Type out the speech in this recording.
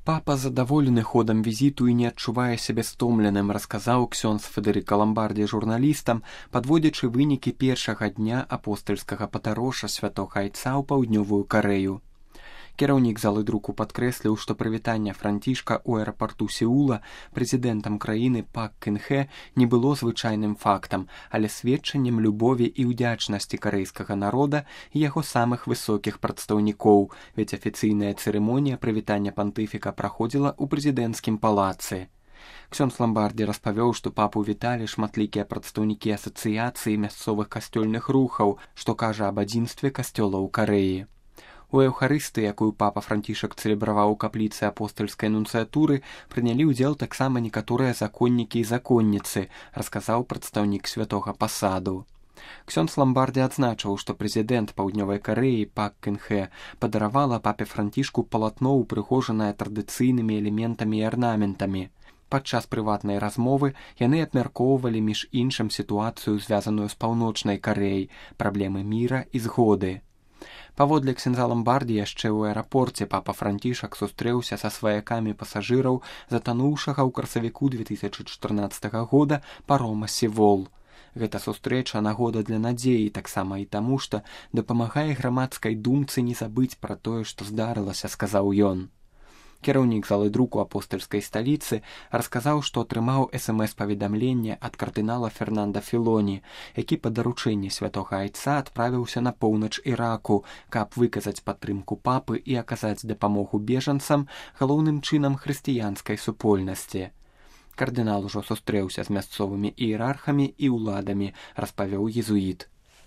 Папа задаволены ходам візіту і не адчувае сябе стомленым, расказаў ксёндз Федэрыка Ламбардзі журналістам, падводзячы вынікі першага дня апостальскага патароша святога айца ў паўднёвую Карэю. Кіраўнік залы друку падкрэсліў, што прывітанне Францішка ў аэрапарту Сеула прэзідэнтам краіны Пак Кын Хэ не было звычайным фактам, але сведчаннем любові і ўдзячнасці карэйскага народа і яго самых высокіх прадстаўнікоў, ведь афіцыйная цырымонія прывітання пантыфіка праходзіла ў прэзідэнцкім палацы. Ксёндз Ламбардзі распавёў, што папу віталі шматлікія прадстаўнікі асацыяцыі мясцовых касцёльных рухаў, што кажа аб адзінстве касцёлаў Карэі. У эўхарыстыі, якую папа Францішак цэлебраваў у капліцы апостальскай нунцыятуры, прынялі ўдзел таксама некаторыя законнікі і законніцы, расказаў прадстаўнік святога пасаду. Ксёндз Ламбардзі адзначыў, што прэзідэнт паўднёвай Карэі Пак Кын Хэ падаравала папе Францішку палатно, упрыгожанае традыцыйнымі элементамі і арнаментамі. Падчас прыватнай размовы яны абмяркоўвалі між іншым сітуацыю, звязаную з паўночнай Карэяй, праблемы міра і згоды. Паводле ксяндза Ламбардзі, яшчэ ў аэрапорце папа Францішак сустрэўся са сваякамі пасажыраў затануўшага ў красавіку 2014 года парома «Севол». Гэта сустрэча нагода для надзеі, таксама і таму, што дапамагае грамадскай думцы не забыць пра тое, што здарылася, сказаў ён. Кіраўнік залы друку апостальскай сталіцы расказаў, што атрымаў СМС-паведамленне ад кардынала Фернанда Філоні, які па даручэнні святога айца адправіўся на поўнач Іраку, каб выказаць падтрымку папы і аказаць дапамогу бежанцам, галоўным чынам хрысціянскай супольнасці. Кардынал ужо сустрэўся з мясцовымі іерархамі і ўладамі, распавёў езуіт.